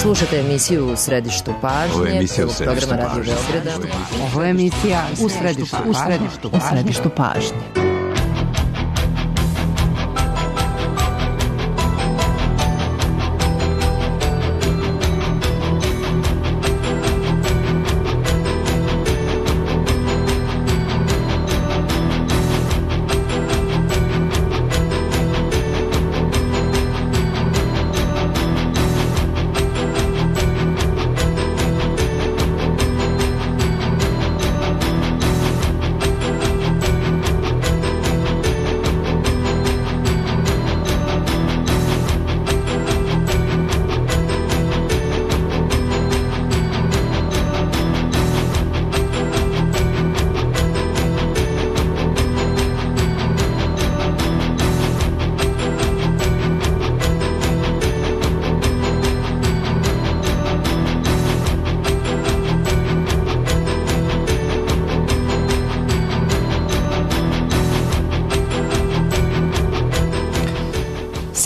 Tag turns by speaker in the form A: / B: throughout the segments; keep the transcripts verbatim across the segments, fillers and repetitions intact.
A: Slušate emisiju U središtu pažnje.
B: Ovo je emisija U
A: središtu
B: programa
A: Radio Beograda.
C: Ovo je emisija U središtu pažnje. U središtu pažnje. U središtu pažnje.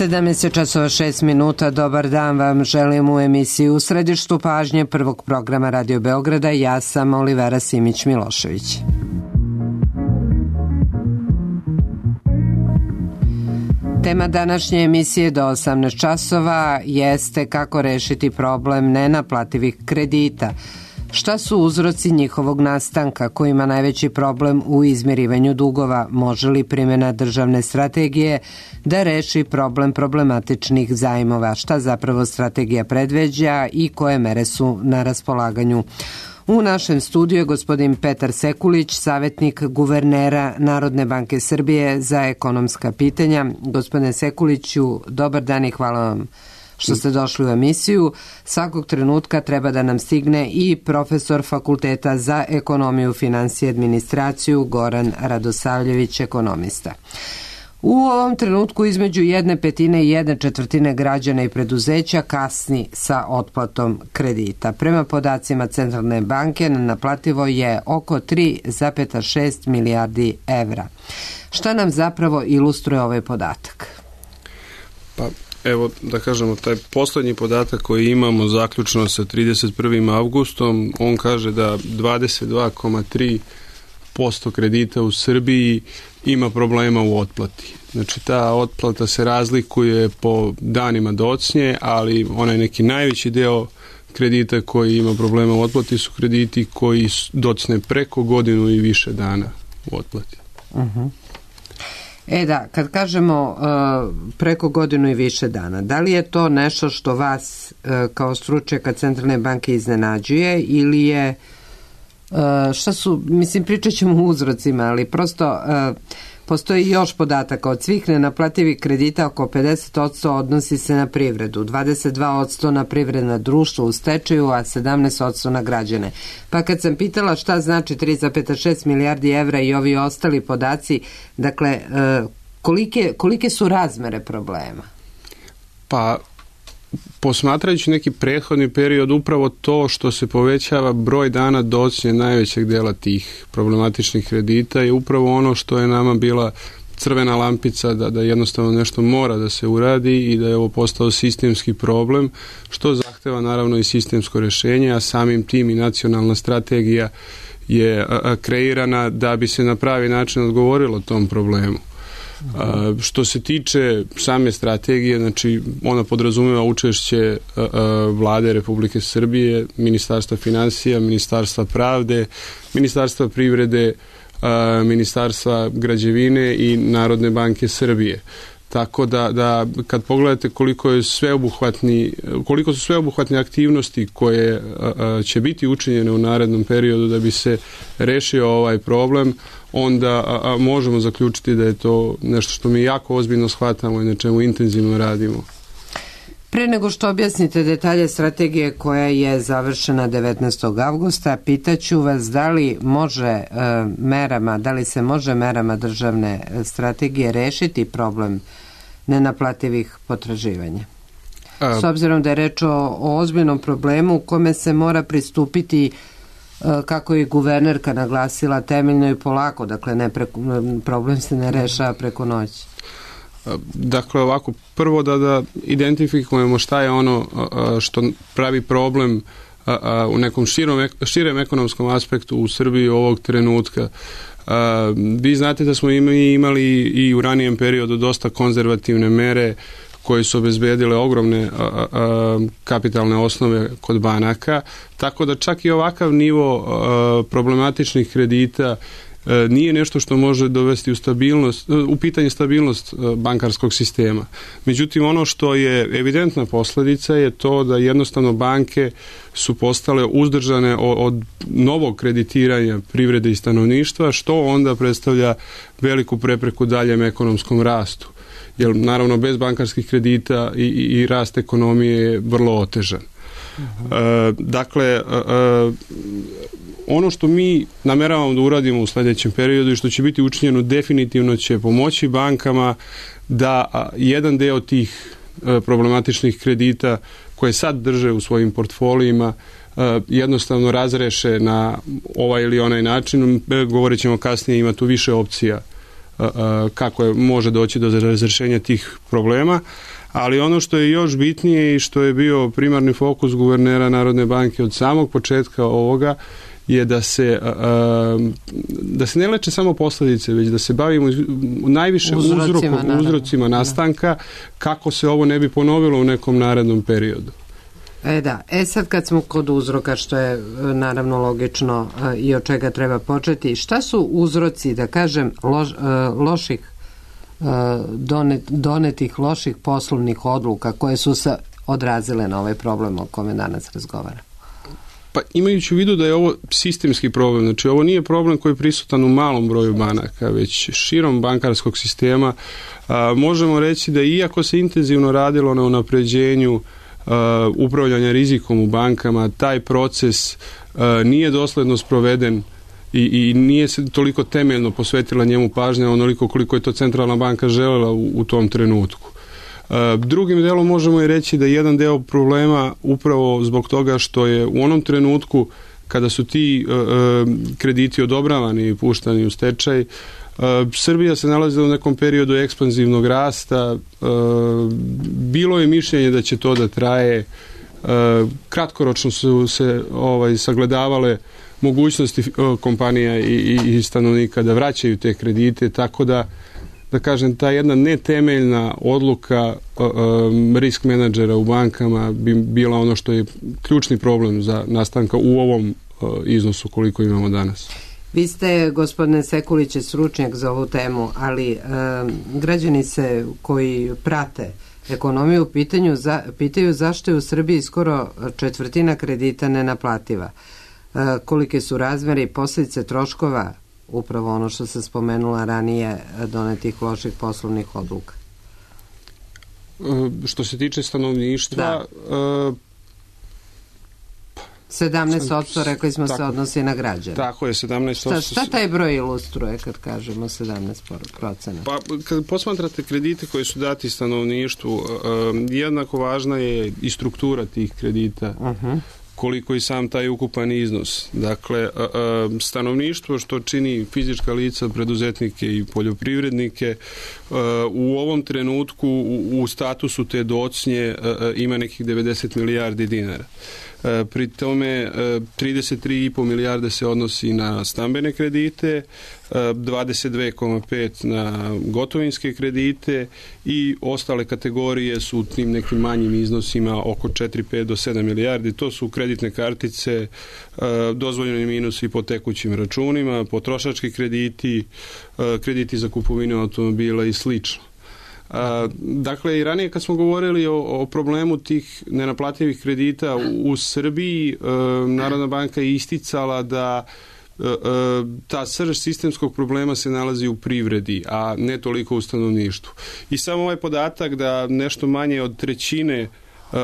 C: sedamnaest časova šest minuta, dobar dan vam želim u emisiji U središtu pažnje prvog programa Radio Beograda. Ja sam Olivera Simić-Milošević. Tema današnje emisije do osamnaest časova jeste kako rešiti problem nenaplativih kredita. Šta su uzroci njihovog nastanka, ko ima najveći problem u izmirivanju dugova? Može li primjena državne strategije da reši problem problematičnih zajmova? Šta zapravo strategija predviđa i koje mere su na raspolaganju? U našem studiju je gospodin Petar Sekulić, savjetnik guvernera Narodne banke Srbije za ekonomska pitanja. Gospodine Sekuliću, dobar dan i hvala vam što ste došli u emisiju. Svakog trenutka treba da nam stigne i profesor Fakulteta za ekonomiju, finansije i administraciju Goran Radosavljević, ekonomista. U ovom trenutku između jedne petine i jedne četvrtine građana i preduzeća kasni sa otplatom kredita. Prema podacima Centralne banke naplativo je oko tri zarez šest milijardi evra. Šta nam zapravo ilustruje ovaj podatak?
D: Pa evo da kažemo, taj poslednji podatak koji imamo zaključno sa trideset prvim avgustom, on kaže da dvadeset dva zarez tri posto kredita u Srbiji ima problema u otplati. Znači ta otplata se razlikuje po danima docnje, ali onaj neki najveći deo kredita koji ima problema u otplati su krediti koji docne preko godinu i više dana u otplati.
C: Uh-huh. E da, kad kažemo uh, preko godinu i više dana, da li je to nešto što vas uh, kao stručnjaka Centralne banke iznenađuje ili je, uh, šta su, mislim pričat ćemo o uzrocima, ali prosto uh, postoji još podataka. Od svih nenaplativih kredita oko pedeset posto odnosi se na privredu, dvadeset dva posto na privredna društva u stečaju, a sedamnaest posto na građane. Pa kad sam pitala šta znači tri zarez šest milijardi evra i ovi ostali podaci, dakle, kolike, kolike su razmere problema?
D: Pa, posmatrajući neki prethodni period, upravo to što se povećava broj dana docnje najvećeg dela tih problematičnih kredita je upravo ono što je nama bila crvena lampica da, da jednostavno nešto mora da se uradi i da je ovo postao sistemski problem, što zahteva naravno i sistemsko rešenje, a samim tim i nacionalna strategija je a, a, kreirana da bi se na pravi način odgovorilo tom problemu. A, što se tiče same strategije, znači ona podrazumeva učešće a, a, Vlade Republike Srbije, Ministarstva finansija, Ministarstva pravde, Ministarstva privrede, a, Ministarstva građevine i Narodne banke Srbije. Tako da, da kad pogledate koliko je sveobuhvatni, koliko su sveobuhvatne aktivnosti koje a, a, će biti učinjene u narednom periodu da bi se rešio ovaj problem, onda a, a, možemo zaključiti da je to nešto što mi jako ozbiljno shvatamo i na čemu intenzivno radimo.
C: Pre nego što objasnite detalje strategije koja je završena devetnaestog avgusta, pitaću vas da li može e, merama, da li se može merama državne strategije rešiti problem nenaplativih potraživanja. A... S obzirom da je reč o, o ozbiljnom problemu u kome se mora pristupiti, kako je guvernerka naglasila, temeljno i polako, dakle ne preko, problem se ne rešava preko noći.
D: Dakle, ovako, prvo da, da identifikujemo šta je ono što pravi problem u nekom širom, širem ekonomskom aspektu u Srbiji ovog trenutka. Vi znate da smo imali i u ranijem periodu dosta konzervativne mere koje su obezbedile ogromne a, a, kapitalne osnove kod banaka, tako da čak i ovakav nivo a, problematičnih kredita a, nije nešto što može dovesti u stabilnost, u pitanje stabilnost a, bankarskog sistema. Međutim, ono što je evidentna posljedica je to da jednostavno banke su postale uzdržane od, od novog kreditiranja privrede i stanovništva, što onda predstavlja veliku prepreku daljem ekonomskom rastu. Jer naravno bez bankarskih kredita i, i, i rast ekonomije je vrlo otežan. Uh-huh. E, dakle, e, ono što mi nameravamo da uradimo u sljedećem periodu i što će biti učinjeno definitivno će pomoći bankama da a, jedan deo tih a, problematičnih kredita koje sad drže u svojim portfolijima a, jednostavno razreše na ovaj ili onaj način. E, govorit ćemo kasnije, ima tu više opcija kako je, može doći do razrešenja tih problema, ali ono što je još bitnije i što je bio primarni fokus guvernera Narodne banke od samog početka ovoga je da se da se ne leče samo posljedice, već da se bavimo najviše uzrocima, uzrokom, uzrocima nastanka kako se ovo ne bi ponovilo u nekom narednom periodu.
C: E da, e sad kad smo kod uzroka, što je naravno logično i od čega treba početi, šta su uzroci, da kažem, loš, loših donet, donetih loših poslovnih odluka koje su se odrazile na ovaj problem o kome danas razgovara?
D: Pa imajući u vidu da je ovo sistemski problem, znači ovo nije problem koji je prisutan u malom broju banaka, već širom bankarskog sistema, a, možemo reći da iako se intenzivno radilo na unapređenju Uh, upravljanja rizikom u bankama, taj proces uh, nije dosledno sproveden i, i nije se toliko temeljno posvetila njemu pažnja onoliko koliko je to centralna banka želela u, u tom trenutku. Uh, drugim delom možemo i reći da jedan deo problema upravo zbog toga što je u onom trenutku kada su ti uh, krediti odobravani i puštani u stečaj, Uh, Srbija se nalazila u nekom periodu ekspanzivnog rasta, uh, bilo je mišljenje da će to da traje, uh, kratkoročno su se ovaj, sagledavale mogućnosti uh, kompanija i, i, i stanovnika da vraćaju te kredite, tako da, da kažem, ta jedna netemeljna odluka uh, um, risk menadžera u bankama bi bila ono što je ključni problem za nastanka u ovom uh, iznosu koliko imamo danas.
C: Vi ste, gospodine Sekuliće, stručnjak za ovu temu, ali e, građani se koji prate ekonomiju pitanju, za, pitaju zašto je u Srbiji skoro četvrtina kredita nenaplativa. E, kolike su razmere i posljedice troškova, upravo ono što se spomenula ranije, donetih loših poslovnih odluka?
D: E, što se tiče stanovništva... E,
C: sedamnaest posto rekli smo tako, se odnosi na građane.
D: Tako je, sedamnaest posto.
C: Šta, šta taj broj ilustruje kad kažemo sedamnaest procenta?
D: Pa, kad posmatrate kredite koji su dati stanovništvu, um, jednako važna je i struktura tih kredita, uh-huh. koliko i sam taj ukupan iznos. Dakle, um, stanovništvo što čini fizička lica, preduzetnike i poljoprivrednike, uh, u ovom trenutku u, u statusu te docnje uh, ima nekih devedeset milijardi dinara. Pri tome trideset tri i po milijarde se odnosi na stambene kredite, dvadeset dve zarez pet na gotovinske kredite i ostale kategorije su u tim nekim manjim iznosima oko četiri, pet do sedam milijardi. To su kreditne kartice, dozvoljeni minusi po tekućim računima, potrošački krediti, krediti za kupovinu automobila i slično. A, dakle, i ranije kad smo govorili o, o problemu tih nenaplativih kredita u, u Srbiji, e, Narodna banka je isticala da e, e, ta srž sistemskog problema se nalazi u privredi, a ne toliko u stanovništvu. I samo ovaj podatak da nešto manje od trećine e, e,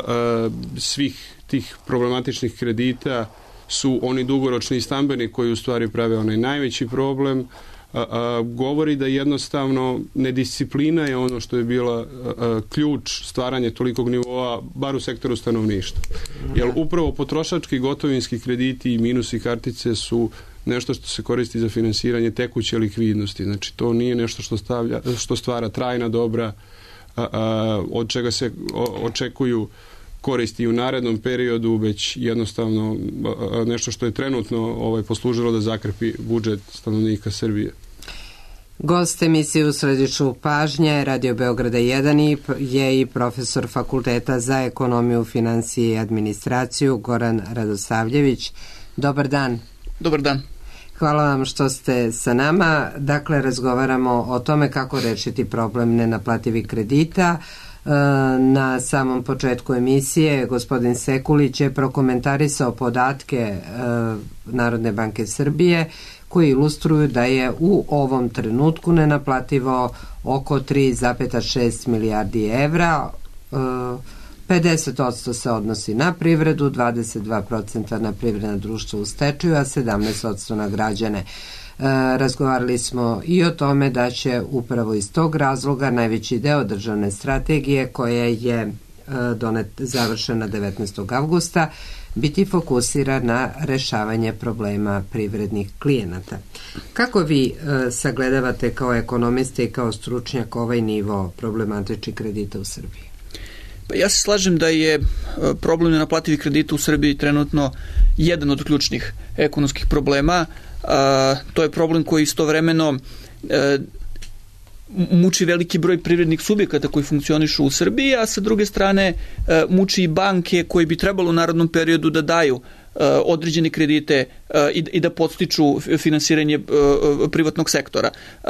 D: svih tih problematičnih kredita su oni dugoročni i stambeni koji u stvari prave onaj najveći problem, A, a, govori da jednostavno nedisciplina je ono što je bila a, a, ključ stvaranja tolikog nivoa, bar u sektoru stanovništva. Jer upravo potrošački gotovinski krediti i minusi kartice su nešto što se koristi za finansiranje tekuće likvidnosti. Znači to nije nešto što, stavlja, što stvara trajna dobra, a, a, od čega se o, očekuju koristi u narednom periodu, već jednostavno a, nešto što je trenutno ovaj, poslužilo da zakrepi budžet stanovnika Srbije.
C: Gost emisije U središtu pažnje Radio Beograda jedan je i profesor Fakulteta za ekonomiju, finansije i administraciju Goran Radosavljević. Dobar dan.
B: Dobar dan.
C: Hvala vam što ste sa nama. Dakle, razgovaramo o tome kako rešiti problem nenaplativih kredita. Na samom početku emisije gospodin Sekulić je prokomentarisao podatke Narodne banke Srbije koji ilustruju da je u ovom trenutku nenaplativo oko tri zarez šest milijardi evra. pedeset posto se odnosi na privredu, dvadeset dva posto na privredna društva u stečaju, a sedamnaest posto na građane. Razgovarali smo i o tome da će upravo iz tog razloga najveći deo državne strategije koja je donet, završena devetnaestog avgusta biti fokusiran na rešavanje problema privrednih klijenata. Kako vi sagledavate kao ekonomiste i kao stručnjak ovaj nivo problematičnih kredita u Srbiji?
B: Pa ja se slažem da je problem nenaplativih kredita u Srbiji trenutno jedan od ključnih ekonomskih problema. A, to je problem koji istovremeno e, muči veliki broj privrednih subjekata koji funkcionišu u Srbiji, a sa druge strane e, muči i banke koji bi trebalo u narednom periodu da daju e, određene kredite e, i, i da podstiču finansiranje e, privatnog sektora. E,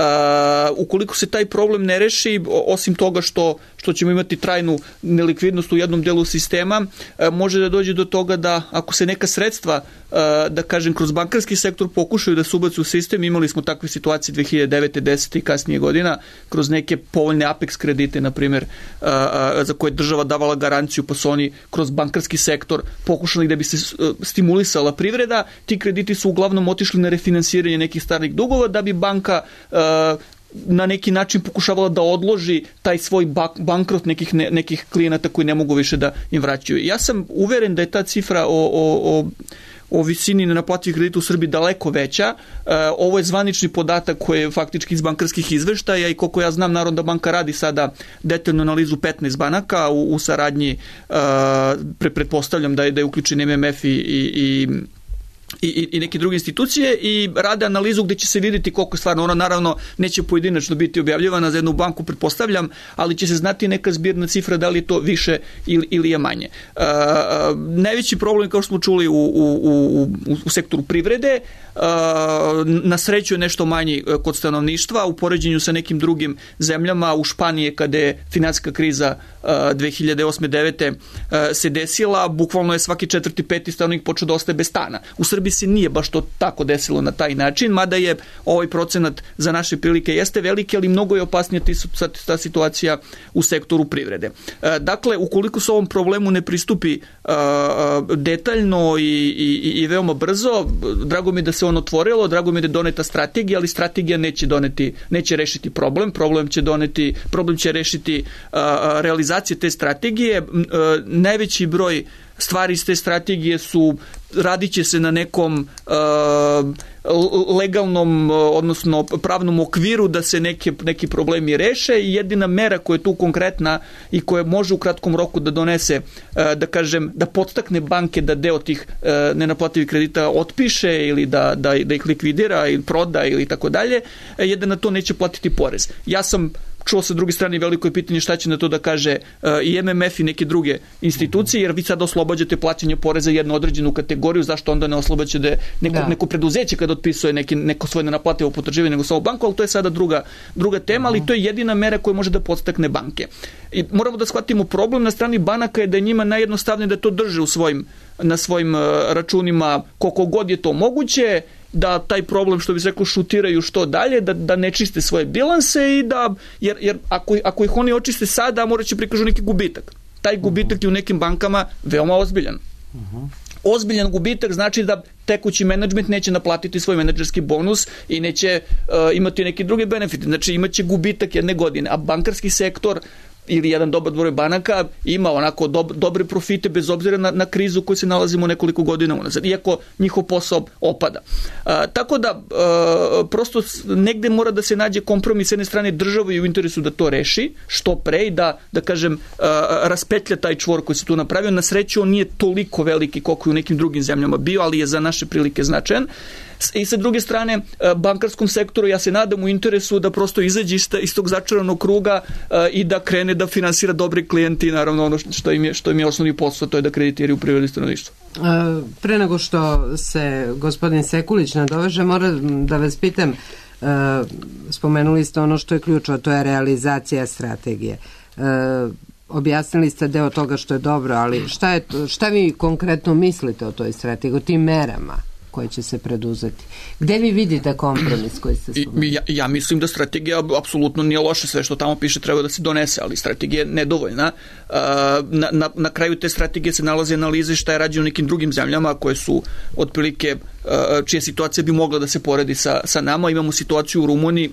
B: ukoliko se taj problem ne reši, osim toga što, što ćemo imati trajnu nelikvidnost u jednom delu sistema, e, može da dođe do toga da ako se neka sredstva da kažem, kroz bankarski sektor pokušaju da se ubacu u sistem. Imali smo takve situacije dve hiljade devete, desete i kasnije godina, kroz neke povoljne Apex kredite, na primjer, za koje država davala garanciju, pa su oni kroz bankarski sektor pokušali da bi se stimulisala privreda. Ti krediti su uglavnom otišli na refinansiranje nekih starih dugova, da bi banka na neki način pokušavala da odloži taj svoj bankrot nekih, ne, nekih klijenata koji ne mogu više da im vraćaju. Ja sam uveren da je ta cifra o, o, o o visini nenaplativih kredita u Srbiji daleko veća. E, ovo je zvanični podatak koji je faktički iz bankarskih izveštaja i koliko ja znam, Narodna banka radi sada detaljnu analizu petnaest banaka u, u saradnji, e, pre, pretpostavljam da je, da je uključen M M F i, i, i i neke druge institucije i rade analizu gde će se vidjeti koliko je stvarno, ona naravno neće pojedinačno biti objavljivana za jednu banku, pretpostavljam, ali će se znati neka zbirna cifra da li je to više ili, ili je manje. Uh, najveći problem, kao što smo čuli, u, u, u, u sektoru privrede, uh, na sreću je nešto manji kod stanovništva u poređenju sa nekim drugim zemljama. U Španiji, kada je finansijska kriza uh, dve hiljade osme devete uh, se desila, bukvalno je svaki četvrti, peti stanovnik počeo da ostaje bez stana. U Srbiji se nije baš to tako desilo na taj način, mada je ovaj procenat za naše prilike jeste veliki, ali mnogo je opasnija ta situacija u sektoru privrede. Dakle, ukoliko se ovom problemu ne pristupi detaljno i, i, i veoma brzo, drago mi da se on otvorilo, drago mi da je doneta strategija, ali strategija neće doneti, neće rešiti problem, problem će doneti, problem će rešiti realizacije te strategije. Najveći broj stvari iz te strategije su, radit će se na nekom uh, legalnom, odnosno pravnom okviru da se neke, neki problemi reše i jedina mera koja je tu konkretna i koja može u kratkom roku da donese, uh, da kažem, da podstakne banke da deo tih uh, nenaplativih kredita otpiše ili da, da, da ih likvidira ili proda ili tako dalje, je da na to neće platiti porez. Ja sam čuo sa druge strane veliko je pitanje šta će na to da kaže uh, i M M F i neke druge institucije, jer vi sad oslobađate plaćanje poreza jednu određenu kategoriju, zašto onda ne oslobađate neko, da. neko preduzeće kada otpisuje neki, neko svoje nenaplativo potraživanje nego samo banku, ali to je sada druga, druga tema, ali to je jedina mera koja može da podstakne banke. I moramo da shvatimo problem na strani banaka je da je njima najjednostavnije da to drže u svojim, na svojim uh, računima koliko god je to moguće, da taj problem, što bi se rekao, šutiraju što dalje, da, da ne čiste svoje bilanse i da, jer, jer ako, ako ih oni očiste sada, morat će prikažu neki gubitak. Taj gubitak je u nekim bankama veoma ozbiljan. Uh-huh. Ozbiljan gubitak znači da tekući menadžment neće naplatiti svoj menadžerski bonus i neće uh, imati neki drugi benefit. Znači imaće gubitak jedne godine, a bankarski sektor ili jedan dobar broj banaka ima onako dob, dobre profite bez obzira na, na krizu u kojoj se nalazimo nekoliko godina unazad, iako njihov posao opada. A, tako da a, prosto negde mora da se nađe kompromis s jedne strane države i u interesu da to reši što pre i da, da kažem, a, raspetlja taj čvor koji se tu napravio. Na sreću on nije toliko veliki koliko je u nekim drugim zemljama bio, ali je za naše prilike značajan. I sa druge strane, bankarskom sektoru ja se nadam u interesu da prosto izađe iz tog začaranog kruga i da krene da finansira dobre klijenti i naravno ono što im je, što im je osnovni posao, to je da kreditiraju privredu i stanovništvo.
C: Pre nego što se gospodin Sekulić nadoveže, moram da vas pitam, spomenuli ste ono što je ključno, to je realizacija strategije. Objasnili ste deo toga što je dobro, ali šta, je to, šta vi konkretno mislite o toj strategiji, o tim merama koje će se preduzeti? Gde vi vidite kompromis koji ste spomenuli?
B: Ja, ja mislim da strategija apsolutno nije loša, sve što tamo piše treba da se donese, ali strategija je nedovoljna. Na, na, na kraju te strategije se nalaze analize šta je rađeno u nekim drugim zemljama koje su otprilike, čija situacija bi mogla da se poredi sa, sa nama. Imamo situaciju u Rumuniji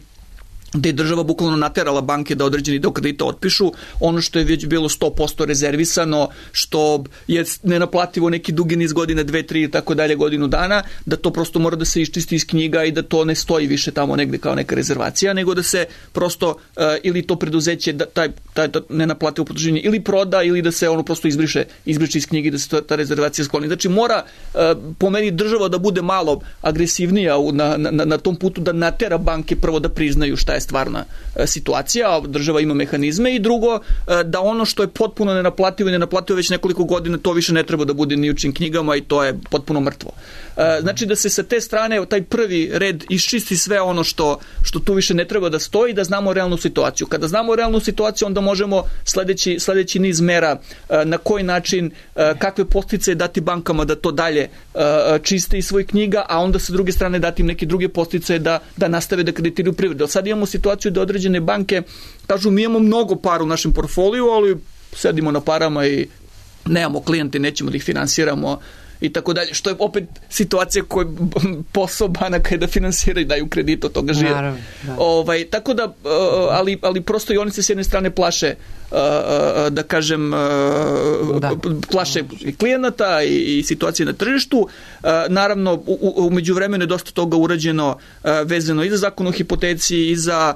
B: gde je država bukvalno naterala banke da određeni deo kredita otpišu, ono što je već bilo sto posto rezervisano, što je nenaplativo neki dugi niz godina, dve, tri i tako dalje, godinu dana, da to prosto mora da se iščisti iz knjiga i da to ne stoji više tamo negde kao neka rezervacija, nego da se prosto uh, ili to preduzeće, da, taj, taj, taj nenaplativo potraživanje ili proda, ili da se ono prosto izbriše, izbriše iz knjige, da se ta, ta rezervacija skloni. Znači mora uh, po meni država da bude malo agresivnija u, na, na, na tom putu, da natera banke prvo da priznaju šta je stvarna situacija, država ima mehanizme, i drugo, da ono što je potpuno nenaplativo i nenaplativo već nekoliko godina, to više ne treba da bude ni u čim knjigama i to je potpuno mrtvo. Znači da se sa te strane taj prvi red iščisti sve ono što, što tu više ne treba da stoji, da znamo realnu situaciju. Kada znamo realnu situaciju, onda možemo sledeći, sledeći niz mera na koji način, kakve podsticaje dati bankama da to dalje čiste iz svojih knjiga, a onda sa druge strane dati im neke druge podsticaje da, da nastave da kreditiraju privredu. Sad imamo situaciju da određene banke kažu mi imamo mnogo para u našem portfoliju, ali sedimo na parama i nemamo klijente, nećemo da ih finansiramo i tako dalje, što je opet situacija koja posao banaka je da finansiraju i daju kredit, od toga žive.
C: Naravno, da.
B: Ovaj, tako da, ali, ali prosto i oni se s jedne strane plaše, da kažem, da. plaše i klijenata i, i situacije na tržištu. Naravno, u, u međuvremenu je dosta toga urađeno vezano i za zakon o hipoteci i za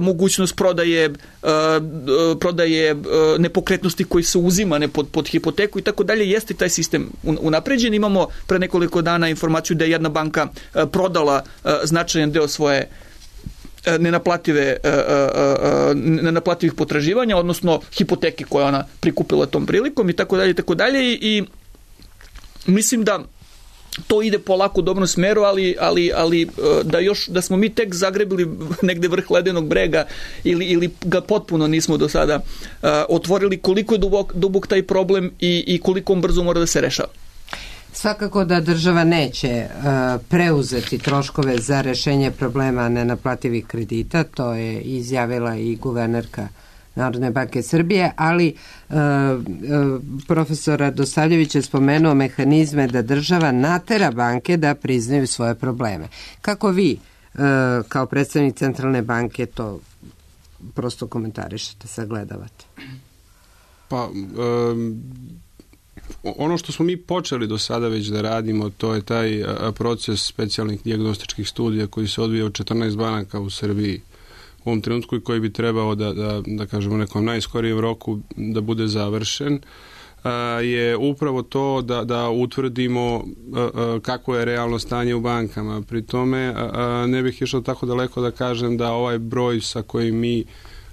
B: mogućnost prodaje, prodaje nepokretnosti koji se uzima ne pod, pod hipoteku i tako dalje. Jeste taj sistem unapređen. Imamo pre nekoliko dana informaciju da je jedna banka prodala značajan deo svoje nenaplative, nenaplativih potraživanja, odnosno hipoteke koje ona prikupila tom prilikom i tako dalje i tako dalje i mislim da to ide polako u dobrom smeru, ali, ali, ali da još da smo mi tek zagrebili negde vrh ledenog brega ili, ili ga potpuno nismo do sada uh, otvorili, koliko je dubok, dubok taj problem i, i koliko on brzo mora da se rešava.
C: Svakako da država neće uh, preuzeti troškove za rešenje problema nenaplativih kredita, to je izjavila i guvernerka Narodne banke Srbije, ali uh, uh, profesor Radosavljević je spomenuo mehanizme da država natera banke da priznaju svoje probleme. Kako vi, uh, kao predstavnik Centralne banke, to prosto komentarišete, sagledavate?
D: Pa, um, ono što smo mi počeli do sada već da radimo, to je taj a, proces specijalnih dijagnostičkih studija koji se odvija u četrnaest banaka u Srbiji u ovom trenutku i koji bi trebao da, da, da kažemo u nekom najskorijem roku da bude završen, a, je upravo to da, da utvrdimo a, a, kako je realno stanje u bankama. Pri tome a, a, ne bih išao tako daleko da kažem da ovaj broj sa kojim mi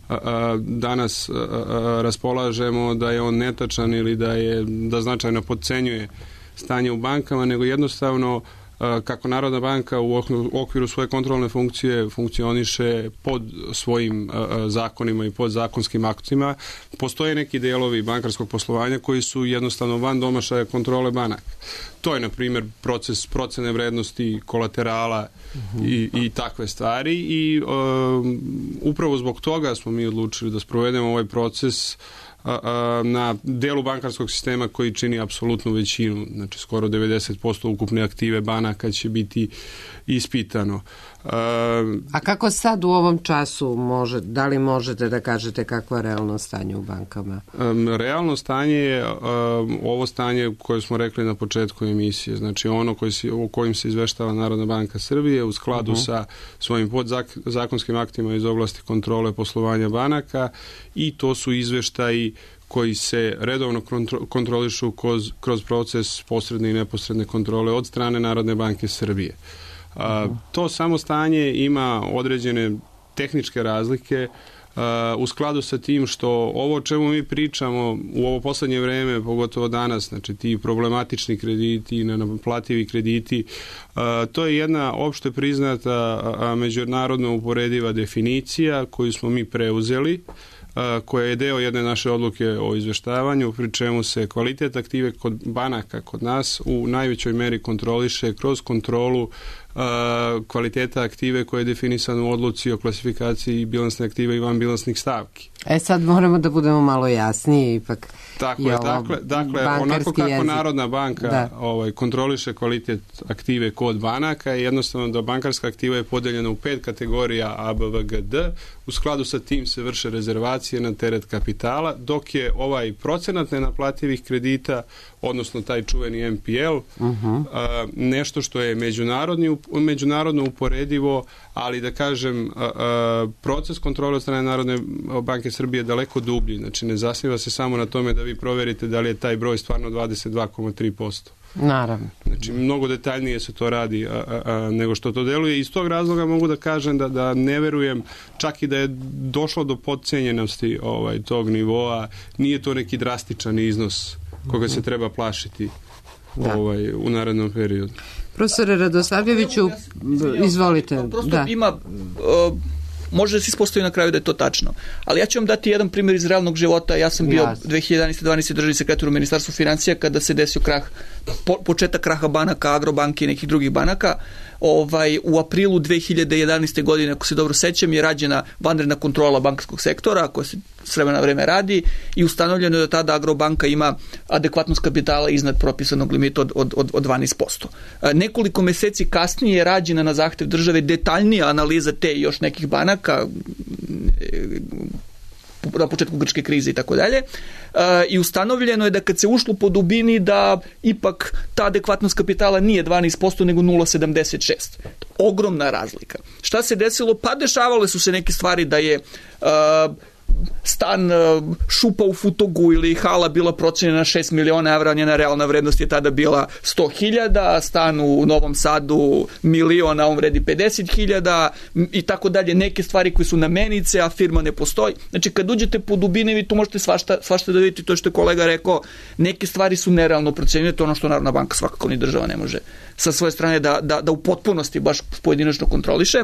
D: a, a, danas a, a, raspolažemo da je on netačan ili da je da značajno podcenjuje stanje u bankama, nego jednostavno kako Narodna banka u okviru svoje kontrolne funkcije funkcioniše pod svojim zakonima i pod zakonskim aktima, postoje neki delovi bankarskog poslovanja koji su jednostavno van domašaja kontrole banaka. To je, na primjer, proces procene vrednosti kolaterala uh-huh. i, i takve stvari i um, upravo zbog toga smo mi odlučili da sprovedemo ovaj proces na delu bankarskog sistema koji čini apsolutnu većinu, znači skoro devedeset posto ukupne aktive banaka banaka će biti ispitano.
C: A kako sad u ovom času može, da li možete da kažete kakvo je realno stanje u bankama?
D: Realno stanje je ovo stanje koje smo rekli na početku emisije, znači ono koji se, o kojim se izveštava Narodna banka Srbije u skladu uh-huh. sa svojim podzakonskim aktima iz oblasti kontrole poslovanja banaka, i to su izveštaji koji se redovno kontrolišu kroz, kroz proces posredne i neposredne kontrole od strane Narodne banke Srbije. A, to samo stanje ima određene tehničke razlike a, u skladu sa tim što ovo o čemu mi pričamo u ovo poslednje vreme, pogotovo danas, znači ti problematični krediti, nenaplativi krediti, a, to je jedna opšte priznata a, a, međunarodno uporediva definicija koju smo mi preuzeli, koja je deo jedne naše odluke o izveštavanju, pri čemu se kvalitet aktive kod banaka kod nas u najvećoj meri kontroliše kroz kontrolu kvaliteta aktive koja je definisana u odluci o klasifikaciji bilansne aktive i vanbilansnih stavki.
C: E sad moramo da budemo malo jasniji, ipak
D: tako je, dakle, dakle onako kako jezik. Narodna banka da. ovaj, kontroliše kvalitet aktive kod banaka, je jednostavno da bankarska aktiva je podeljena u pet kategorija A, B, V, G, D. U skladu sa tim se vrše rezervacije na teret kapitala, dok je ovaj procenat nenaplativih kredita, odnosno taj čuveni M P L, uh-huh. a, nešto što je međunarodni, međunarodno uporedivo, ali da kažem, a, a, proces kontrole od strane Narodne banke Srbije je daleko dublji. Znači ne zasniva se samo na tome da vi proverite da li je taj broj stvarno dvadeset dva zarez tri posto.
C: Naravno.
D: Znači mnogo detaljnije se to radi a, a, a, nego što to deluje. Iz tog razloga mogu da kažem da, da ne verujem čak i da je došlo do podcenjenosti ovaj, tog nivoa. Nije to neki drastičan iznos koga se treba plašiti ovaj, u narednom periodu.
C: Profesore Radosavljeviću, izvolite.
B: Prosto da. ima... Uh, može da se ispostavi na kraju da je to tačno. Ali ja ću vam dati jedan primjer iz realnog života. Ja sam bio Jasne. dve hiljade jedanaeste dvanaeste državni sekretar u Ministarstvu financija kada se desio krah, po, početak kraha banaka, Agrobanke i nekih drugih banaka. Ovaj, u aprilu dve hiljade jedanaeste godine, ako se dobro sećam, je rađena vanredna kontrola bankarskog sektora koja se s vremena na vreme radi i ustanovljeno je da tada Agrobanka ima adekvatnost kapitala iznad propisanog limita od, od, od, od dvanaest posto. Nekoliko meseci kasnije je rađena na zahtev države detaljnija analiza te i još nekih banaka na početku grčke krize i tako dalje. I ustanovljeno je da kad se ušlo po dubini da ipak ta adekvatnost kapitala nije dvanaest posto nego nula zarez sedamdeset šest. Ogromna razlika. Šta se desilo? Pa dešavale su se neke stvari da je uh, stan šupa u Futogu ili hala bila procenjena na šest miliona evra, njena realna vrednost je tada bila sto hiljada, stan u Novom Sadu miliona, on vredi pedeset hiljada i tako dalje, neke stvari koje su na menice, a firma ne postoji. Znači kad uđete po dubine vi tu možete svašta, svašta da vidite, to što je kolega rekao, neke stvari su nerealno procenjene, to ono što Narodna banka svakako ni država ne može sa svoje strane da, da, da u potpunosti baš pojedinačno kontroliše.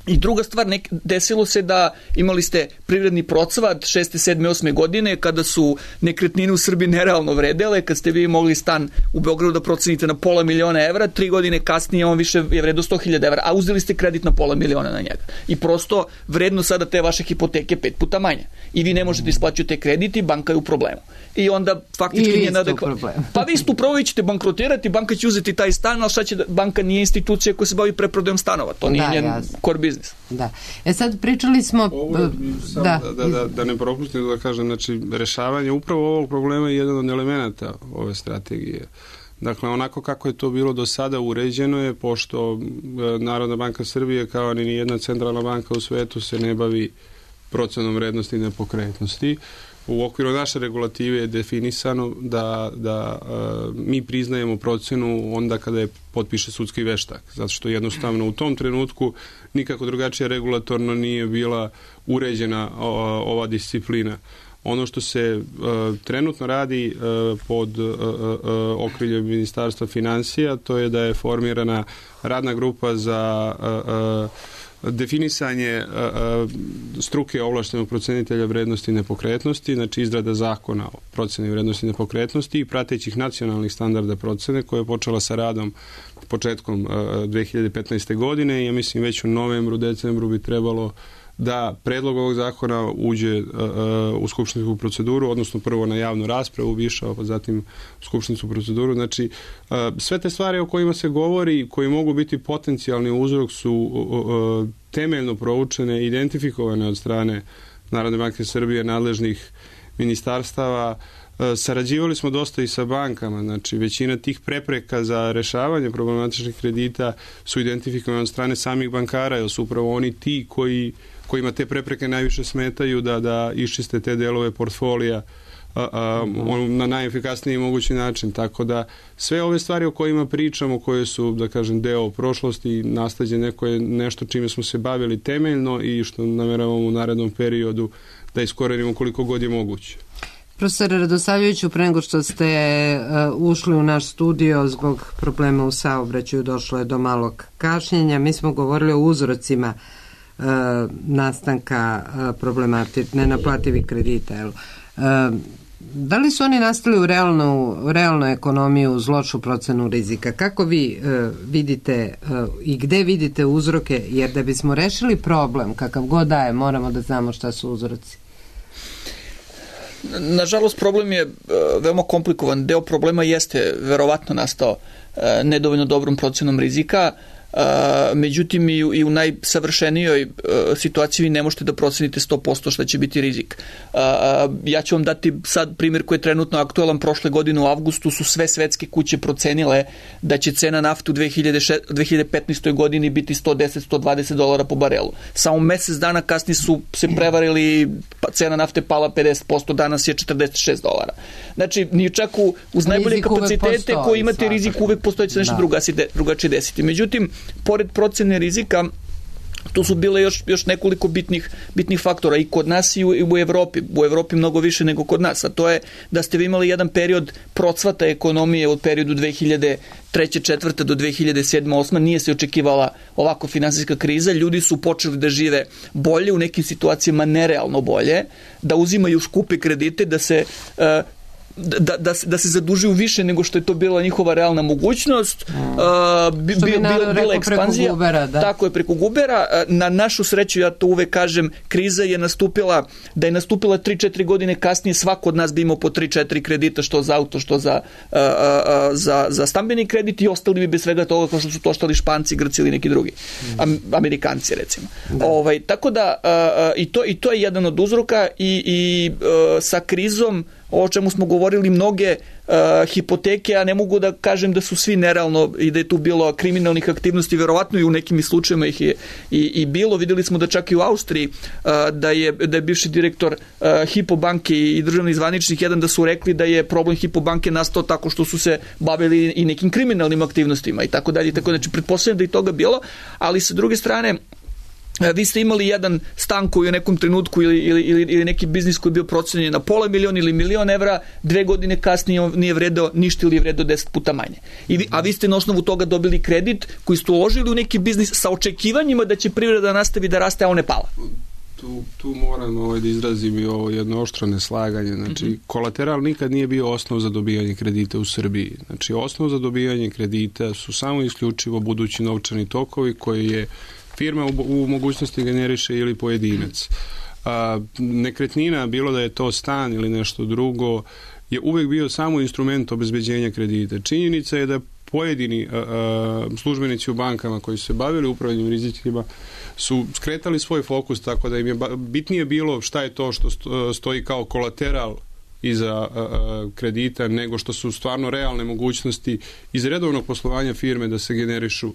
B: I druga stvar, nek, desilo se da imali ste privredni procvat šeste, sedme, osme godine kada su nekretnine u Srbiji nerealno vredele, kad ste vi mogli stan u Beogradu da procenite na pola miliona evra, tri godine kasnije on više je vredo sto hiljada evra, a uzeli ste kredit na pola miliona na njega. I prosto vredno sada te vaše hipoteke pet puta manja. I vi ne možete isplaćati te krediti, banka je u problemu. I onda faktički nije nadekvatno. Pa vi ste upravo ćete bankrotirati, banka će uzeti taj stan, ali šta će da, banka nije institucija koja se bavi preprodajom stanova. To nije da, njen core business.
C: Da. E sad pričali smo...
D: Ovo, da, da, da, da ne propustim da kažem, znači rešavanje upravo ovog problema je jedan od elemenata ove strategije. Dakle, onako kako je to bilo do sada uređeno je, pošto Narodna banka Srbije kao ni jedna centralna banka u svetu se ne bavi procenom vrednosti i nepokretnosti. U okviru naše regulative je definisano da, da uh, mi priznajemo procenu onda kada je potpiše sudski veštak, zato što jednostavno u tom trenutku nikako drugačije regulatorno nije bila uređena uh, ova disciplina. Ono što se uh, trenutno radi uh, pod uh, uh, okriljem Ministarstva financija, to je da je formirana radna grupa za uh, uh, definisanje uh, struke ovlaštenog procenitelja vrednosti nepokretnosti, znači izrada zakona o proceni vrednosti nepokretnosti i pratećih nacionalnih standarda procene koja je počela sa radom početkom uh, dve hiljade petnaeste. godine i ja mislim već u novembru, decembru bi trebalo da predlog ovog zakona uđe uh, u skupštinsku proceduru, odnosno prvo na javnu raspravu išao, pa zatim u skupštinsku proceduru. Znači, uh, sve te stvari o kojima se govori, koji mogu biti potencijalni uzrok su uh, temeljno proučene, identifikovane od strane Narodne banke Srbije, nadležnih ministarstava. Sarađivali smo dosta i sa bankama, znači većina tih prepreka za rešavanje problematičnih kredita su identifikovane od strane samih bankara, jer su upravo oni ti koji, kojima te prepreke najviše smetaju da, da iščiste te delove portfolija a, a, on, na najefikasniji mogući način. Tako da sve ove stvari o kojima pričamo, koje su, da kažem, deo prošlosti, nasleđe neko je nešto čime smo se bavili temeljno i što nameravamo u narednom periodu da iskorenimo koliko god je moguće.
C: Profesor Radosavljeviću, pre nego što ste uh, ušli u naš studio zbog problema u saobraćaju, došlo je do malog kašnjenja. Mi smo govorili o uzrocima uh, nastanka uh, problematičnih nenaplativih kredita. Jel? Uh, da li su oni nastali u realnu, realnu ekonomiju uz lošu procenu rizika? Kako vi uh, vidite uh, i gde vidite uzroke? Jer da bismo rešili problem, kakav god da je, moramo da znamo šta su uzroci.
B: Nažalost, problem je veoma komplikovan. Deo problema jeste verovatno nastao nedovoljno dobrom procenom rizika, međutim i u, i u najsavršenijoj situaciji vi ne možete da procenite sto posto šta će biti rizik. Ja ću vam dati sad primjer koji je trenutno aktualan. Prošle godine u avgustu su sve svetske kuće procenile da će cena nafte u dve hiljade petnaestoj godini biti sto deset do sto dvadeset dolara po barelu. Samo mesec dana kasnije su se prevarili, cena nafte pala pedeset posto, danas je četrdeset šest dolara. Znači, ni čak u, uz najbolje rizik kapacitete koji imate svakako. Rizik uvek postoji će nešto da. drugačije desiti. Međutim, pored procene rizika, tu su bile još, još nekoliko bitnih, bitnih faktora i kod nas i u, i u Evropi. U Evropi mnogo više nego kod nas, a to je da ste vi imali jedan period procvata ekonomije od periodu dve hiljade treće četvrte do dve hiljade sedme osme. Nije se očekivala ovako finansijska kriza. Ljudi su počeli da žive bolje, u nekim situacijama nerealno bolje, da uzimaju skupe kredite, da se uh, Da, da, da se zadužuju više nego što je to bila njihova realna mogućnost. Mm. Uh, bi, bi, bila, bila ekspanzija. Gubera, da. Tako je, preko gubera. Na našu sreću, ja to uvek kažem, kriza je nastupila, da je nastupila tri četiri godine kasnije, svako od nas bi imao po tri četiri kredita, što za auto, što za, uh, uh, za, za stambeni kredit, i ostali bi bez svega toga kao što su to ostali Španci, Grci ili neki drugi. Mm. Am, Amerikanci, recimo. Da. Ovaj, tako da, uh, i, to, i to je jedan od uzroka i, i uh, sa krizom, o čemu smo govorili, mnoge uh, hipoteke, a ne mogu da kažem da su svi nerealno i da je tu bilo kriminalnih aktivnosti, verovatno i u nekim slučajima ih je i, i bilo. Videli smo da čak i u Austriji uh, da, je, da je bivši direktor uh, Hypo banke i državni zvaničnik jedan da su rekli da je problem Hypo banke nastao tako što su se bavili i nekim kriminalnim aktivnostima i tako dalje. Tako, znači, pretpostavljam da je toga bilo, ali sa druge strane, vi ste imali jedan stan koji u nekom trenutku ili, ili, ili neki biznis koji je bio procenjen na pola miliona ili milion evra, dve godine kasnije nije vredeo ništa ili je vredeo deset puta manje. I vi, a vi ste na osnovu toga dobili kredit koji ste uložili u neki biznis sa očekivanjima da će privreda nastavi da raste, a on ne pala.
D: Tu, tu moram ovaj, da izrazim i ovo jedno oštro neslaganje. Znači, mm-hmm. kolateral nikad nije bio osnov za dobijanje kredita u Srbiji. Znači, osnov za dobijanje kredita su samo isključivo budući novčani tokovi koji je firma u, u mogućnosti generiše ili pojedinac. A, nekretnina, bilo da je to stan ili nešto drugo, je uvek bio samo instrument obezbeđenja kredita. Činjenica je da pojedini a, a, službenici u bankama koji su se bavili upravljanjem rizicima su skretali svoj fokus, tako da im je bitnije bilo šta je to što stoji kao kolateral iza a, a, kredita, nego što su stvarno realne mogućnosti iz redovnog poslovanja firme da se generišu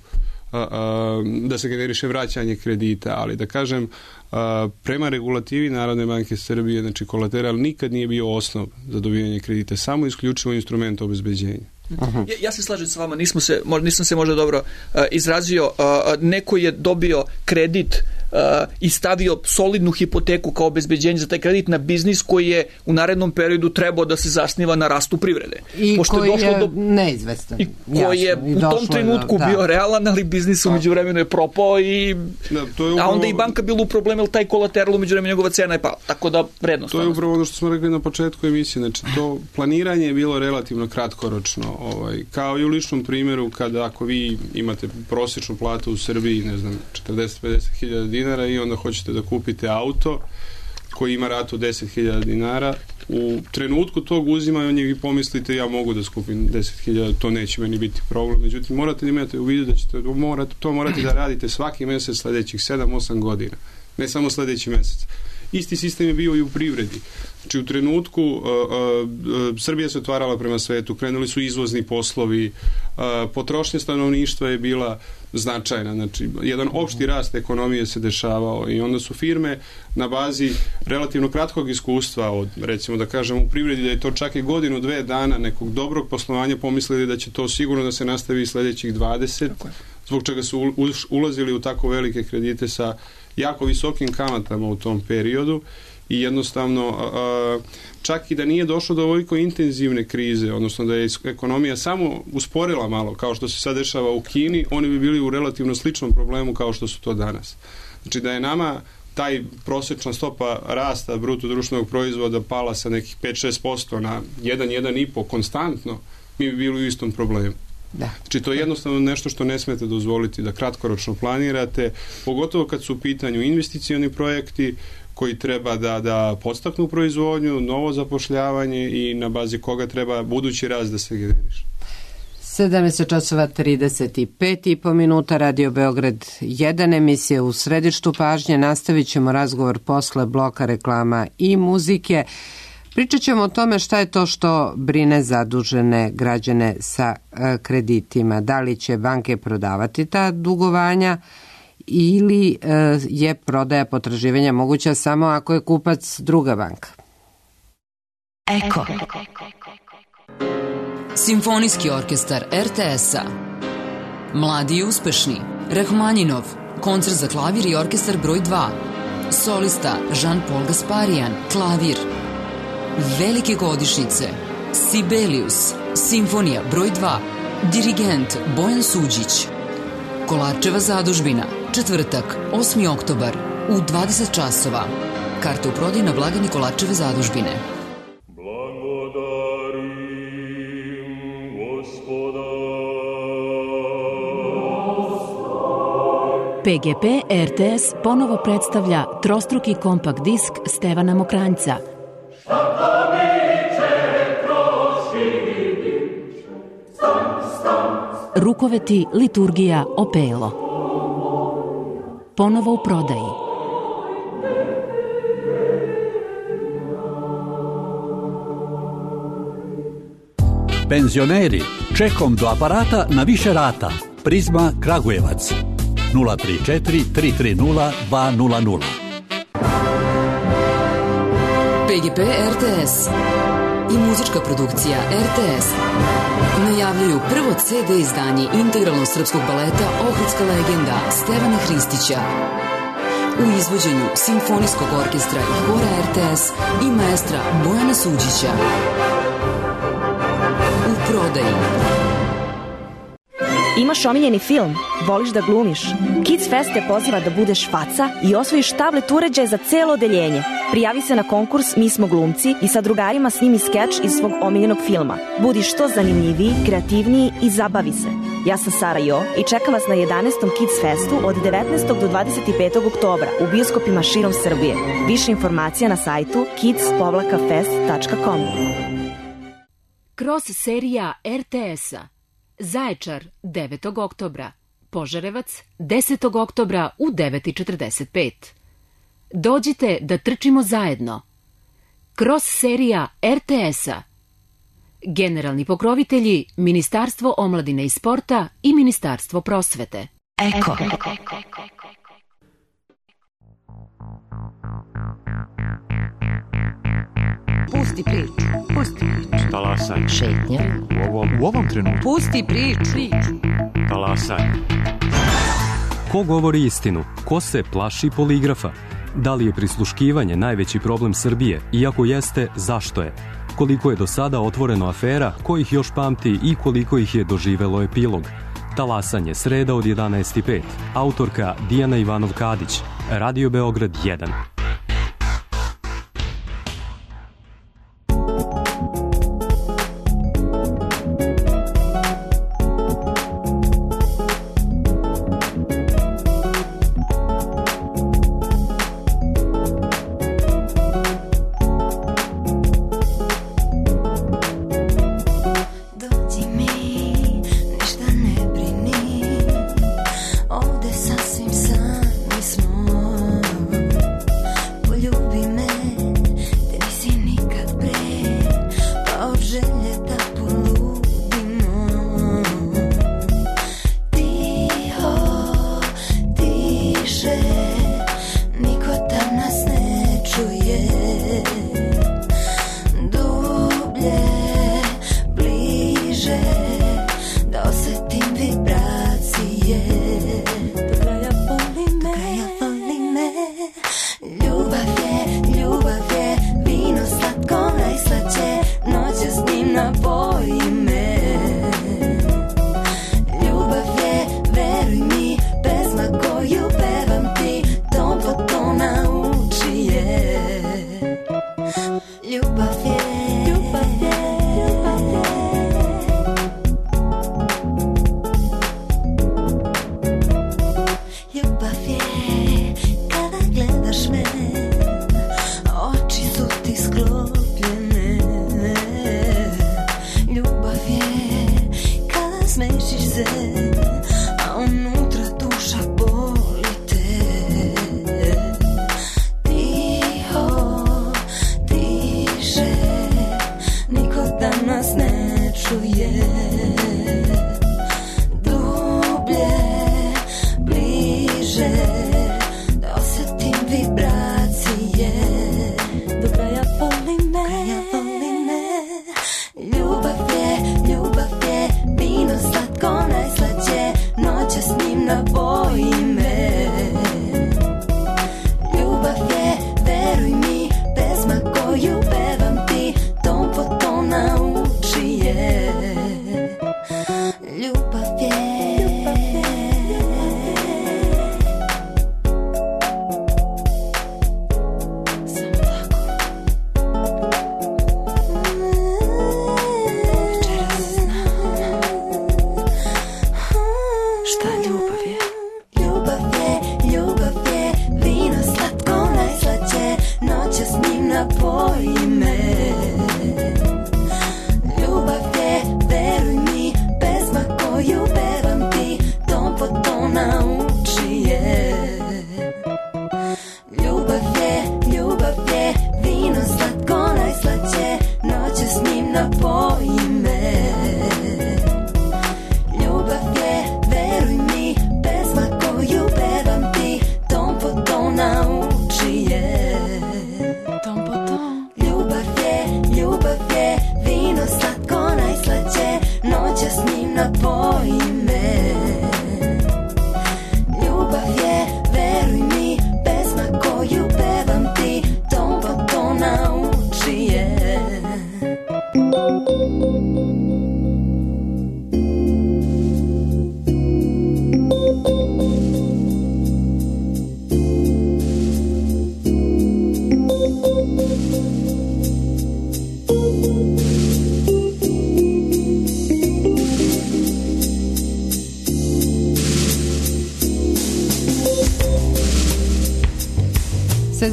D: a, a, da se generiše vraćanje kredita, ali da kažem, a, prema regulativi Narodne banke Srbije, znači kolateral nikad nije bio osnov za dobijanje kredita, samo isključivo instrument obezbeđenja.
B: Ja, ja se slažem s vama, nismo se, nisam se možda dobro uh, izrazio. Uh, neko je dobio kredit uh, i stavio solidnu hipoteku kao obezbeđenje za taj kredit na biznis koji je u narednom periodu trebao da se zasniva na rastu privrede.
C: I Pošto koji je, je do, neizvestan.
B: I koji je jasno, u tom trenutku da, bio realan, ali biznis umeđu vremenu je propao i
D: da, to je upravo,
B: a onda i banka bila u problemu, jer taj kolateral umeđu vremenu njegova cena je pala. Tako da vrednost.
D: To je upravo ono što smo rekli na početku emisije. Znači, to planiranje je bilo relativno kratkoročno. Ovaj, kao i u ličnom primjeru, kada ako vi imate prosječnu platu u Srbiji, ne znam, četrdeset do pedeset hiljada dinara, dinara i onda hoćete da kupite auto koji ima ratu deset hiljada dinara, u trenutku tog uzimanja vi pomislite ja mogu da skupim deset hiljada, to neće meni biti problem. Međutim, morate da imate u vidu da ćete morate, to morate da radite svaki mesec sledećih sedam osam godina, ne samo sledeći mesec. Isti sistem je bio i u privredi. Znači, u trenutku uh, uh, Srbija se otvarala prema svetu, krenuli su izvozni poslovi, uh, potrošnja stanovništva je bila značajna. Znači, jedan opšti rast ekonomije se dešavao i onda su firme na bazi relativno kratkog iskustva od, recimo da kažem, u privredi da je to čak i godinu, dve dana nekog dobrog poslovanja pomislili da će to sigurno da se nastavi sledećih dvadeset, zbog čega su ulazili u tako velike kredite sa jako visokim kamatama u tom periodu i jednostavno čak i da nije došlo do ovoliko intenzivne krize, odnosno da je ekonomija samo usporila malo, kao što se sad dešava u Kini, oni bi bili u relativno sličnom problemu kao što su to danas. Znači da je nama taj prosječna stopa rasta bruto društvenog proizvoda pala sa nekih pet do šest posto na jedan do jedan i po konstantno, mi bi bili u istom problemu. Da. Znači to je jednostavno nešto što ne smete dozvoliti da kratkoročno planirate, pogotovo kad su u pitanju investicioni projekti koji treba da, da podstaknu proizvodnju, novo zapošljavanje i na bazi koga treba budući rast da se generiše.
C: sedamnaest časova trideset pet i po minuta, Radio Beograd jedan, emisija u središtu pažnje. Nastavit ćemo razgovor posle bloka reklama i muzike. Pričat ćemo o tome šta je to što brine zadužene građane sa kreditima. Da li će banke prodavati ta dugovanja ili je prodaja potraživanja moguća samo ako je kupac druga banka.
A: Eko. Simfonijski orkestar er te es-a. Mladi i uspešni. Rahmanjinov. Koncert za klavir i orkestar broj dva. Solista Jean-Paul Gasparian. Klavir. Velike godišnjice. Sibelius. Simfonija broj dva. Dirigent Bojan Suđić. Kolarčeva zadužbina. Četvrtak, osmi oktobar, u dvadeset časova. Karte u prodaji na blagajni Kolarčeve zadužbine.
E: pe ge pe er te es ponovo predstavlja trostruki kompakt disk Stevana Mokranjca. Rukoveti, liturgija, opelo. Ponovo u prodaji.
F: Penzioneri, čekom do aparata na više rata. Prizma Kragujevac. nula tri četiri tri tri nula dva nula nula.
A: pe ge pe er te es i muzička produkcija er te es najavljaju prvo ce de izdanje integralnog srpskog baleta Ohridska legenda Stevana Hristića u izvođenju Simfonijskog orkestra i hora er te es i maestra Bojana Suđića. U prodaji.
G: Imaš omiljeni film? Voliš da glumiš? Kids Fest te poziva da budeš faca i osvojiš tablet uređaj za celo odeljenje. Prijavi se na konkurs Mi smo glumci i sa drugarima snimi skeč iz svog omiljenog filma. Budi što zanimljiviji, kreativniji i zabavi se. Ja sam Sara Jo i čekam vas na jedanaestom Kids Festu od devetnaestog do dvadeset petog oktobra u bioskopima širom Srbije. Više informacija na sajtu kids fest tačka com.
E: Kroz serija er te es-a. Zaječar devetog oktobra, Požarevac desetog oktobra u devet i četrdeset pet. Dođite da trčimo zajedno. Kroz serija er te es-a. Generalni pokrovitelji Ministarstvo omladine i sporta i Ministarstvo prosvete.
A: Eko.
H: Pusti priču, pusti priču.
I: Talasaj.
A: Šetnja.
I: U ovom, u ovom trenutku.
H: Pusti priču.
I: Talasaj.
J: Ko govori istinu? Ko se plaši poligrafa? Da li je prisluškivanje najveći problem Srbije? Iako jeste, zašto je? Koliko je do sada otvoreno afera, ko ih još pamti i koliko ih je doživelo epilog? Talasanje, sreda od jedanaest i pet. Autorka Dijana Ivanov-Kadić. Radio Beograd jedan.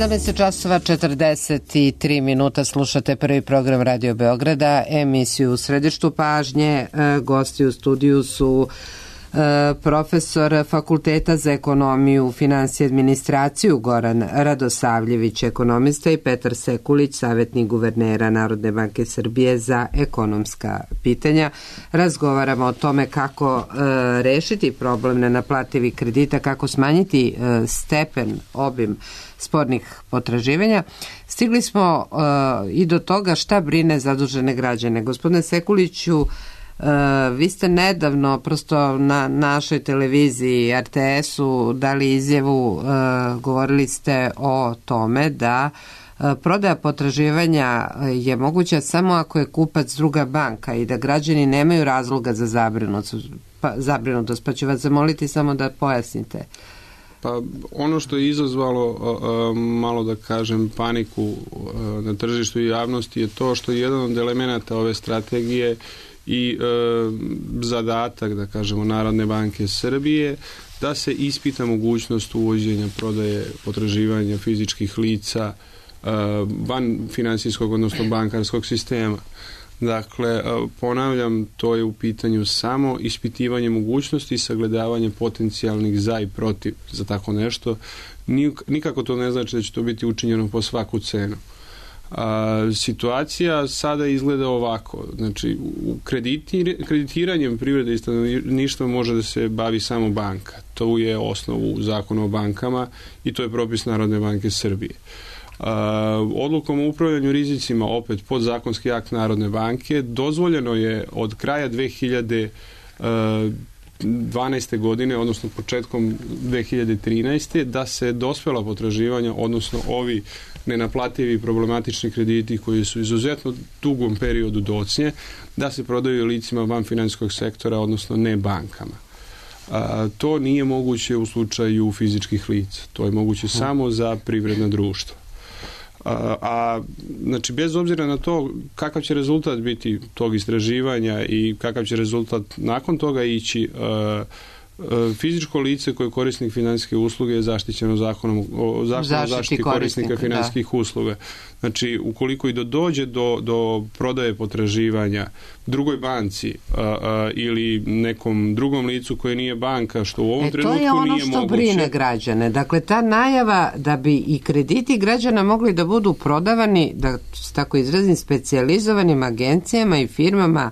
C: sedamnaest časova četrdeset tri minuta, slušate prvi program Radio Beograda, emisiju u središtu pažnje. Gosti u studiju su profesor Fakulteta za ekonomiju, finansije i administraciju Goran Radosavljević, ekonomista, i Petar Sekulić, savjetnik guvernera Narodne banke Srbije za ekonomska pitanja. Razgovaramo o tome kako e, rešiti problem nenaplativih kredita, kako smanjiti e, stepen, obim spornih potraživanja. Stigli smo e, i do toga šta brine zadužene građane. Gospodine Sekuliću, Uh, vi ste nedavno prosto na našoj televiziji R T S-u dali izjavu, uh, govorili ste o tome da uh, prodaja potraživanja je moguća samo ako je kupac druga banka i da građani nemaju razloga za zabrinutost, pa, zabrinutost, pa ću vas zamoliti samo da pojasnite.
D: Pa ono što je izazvalo uh, malo da kažem paniku uh, na tržištu i javnosti je to što je jedan od elemenata ove strategije i e, zadatak, da kažemo, Narodne banke Srbije da se ispita mogućnost uvođenja prodaje potraživanja fizičkih lica e, van finansijskog, odnosno bankarskog sistema. Dakle, e, ponavljam, to je u pitanju samo ispitivanje mogućnosti i sagledavanje potencijalnih za i protiv za tako nešto. Nikako to ne znači da će to biti učinjeno po svaku cenu. A, situacija sada izgleda ovako, znači u kreditir, kreditiranjem privrede i stanovništva može da se bavi samo banka, to je osnov u Zakonu o bankama i to je propis Narodne banke Srbije. A, odlukom o upravljanju rizicima, opet podzakonski akt Narodne banke, dozvoljeno je od kraja dve hiljade dvanaeste godine, odnosno početkom dve hiljade trinaeste da se dospela potraživanja, odnosno ovi nenaplativi problematični krediti koji su izuzetno dugom periodu docnje, da se prodaju licima van finansijskog sektora, odnosno ne bankama. A, to nije moguće u slučaju fizičkih lica. To je moguće samo za privredna društva. A, a znači bez obzira na to kakav će rezultat biti tog istraživanja i kakav će rezultat nakon toga ići, a, fizičko lice koje je korisnik financijske usluge je zaštićeno zakonom o zaštiti, zaštiti korisnika financijskih da. usluga. Znači, ukoliko i do, dođe do, do prodaje potraživanja drugoj banci a, a, ili nekom drugom licu koje nije banka, što u ovom e, trenutku nije moguće.
C: To je ono što brine građane. Dakle, ta najava da bi i krediti građana mogli da budu prodavani, da tako izrazim, specijalizovanim agencijama i firmama,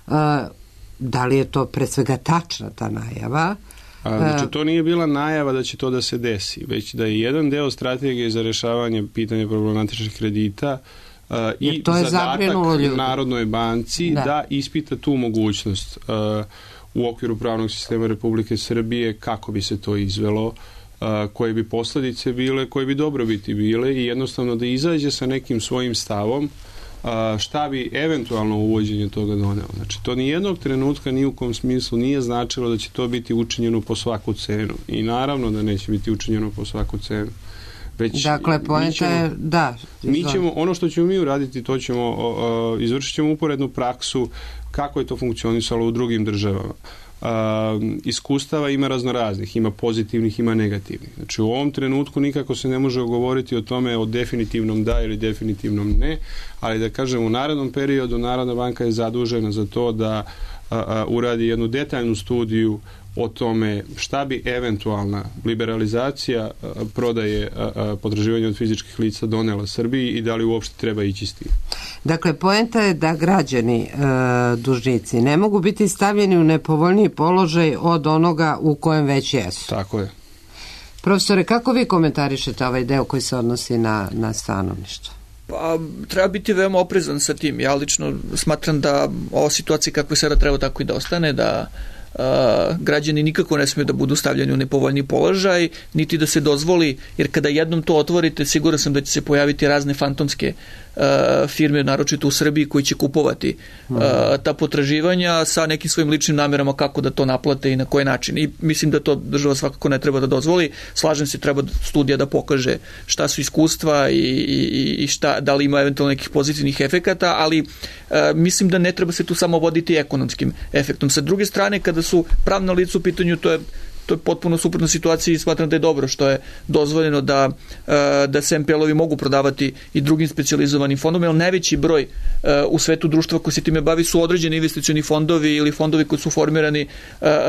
C: a, da li je to pre svega tačna ta najava?
D: A, znači, to nije bila najava da će to da se desi, već da je jedan deo strategije za rješavanje pitanja problematičnih kredita uh, i zadatak Narodnoj banci da. da ispita tu mogućnost uh, u okviru pravnog sistema Republike Srbije kako bi se to izvelo, uh, koje bi posljedice bile, koje bi dobrobiti bile i jednostavno da izađe sa nekim svojim stavom šta bi eventualno uvođenje toga donelo. Znači, to nijednog trenutka ni u kom smislu nije značilo da će to biti učinjeno po svaku cenu. I naravno da neće biti učinjeno po svaku cenu. Već
C: dakle, poenta je, da.
D: Mi ćemo, ono što ćemo mi uraditi, to ćemo, uh, izvršit ćemo uporednu praksu kako je to funkcionisalo u drugim državama. Uh, iskustava ima raznoraznih, ima pozitivnih, ima negativnih. Znači, u ovom trenutku nikako se ne može govoriti o tome o definitivnom da ili definitivnom ne, ali da kažem, u narednom periodu Narodna banka je zadužena za to da uh, uh, uradi jednu detaljnu studiju o tome šta bi eventualna liberalizacija uh, prodaje uh, potraživanja od fizičkih lica donela Srbiji i da li uopšte treba ići s tim.
C: Dakle, poenta je da građani, e, dužnici, ne mogu biti stavljeni u nepovoljniji položaj od onoga u kojem već jesu.
D: Tako je.
C: Profesore, kako vi komentarišete ovaj deo koji se odnosi na, na stanovništvo?
B: Pa, treba biti veoma oprezan sa tim. Ja lično smatram da ova situacija kakva sada treba tako i da ostane, da Uh, građani nikako ne smiju da budu stavljeni u nepovoljni položaj, niti da se dozvoli, jer kada jednom to otvorite, siguran sam da će se pojaviti razne fantomske uh, firme, naročito u Srbiji, koji će kupovati uh, ta potraživanja sa nekim svojim ličnim namerama kako da to naplate i na koji način. I mislim da to država svakako ne treba da dozvoli. Slažem se, treba studija da pokaže šta su iskustva i, i, i šta, da li ima eventualno nekih pozitivnih efekata, ali uh, mislim da ne treba se tu samo voditi ekonomskim efektom. Sa druge strane, kada su pravna lica u pitanju, to je to je potpuno suprotna situacija i smatram da je dobro što je dozvoljeno da, da se em pe el-ovi mogu prodavati i drugim specijalizovanim fondom, jer najveći broj u svetu društva koji se time bavi su određeni investicioni fondovi ili fondovi koji su formirani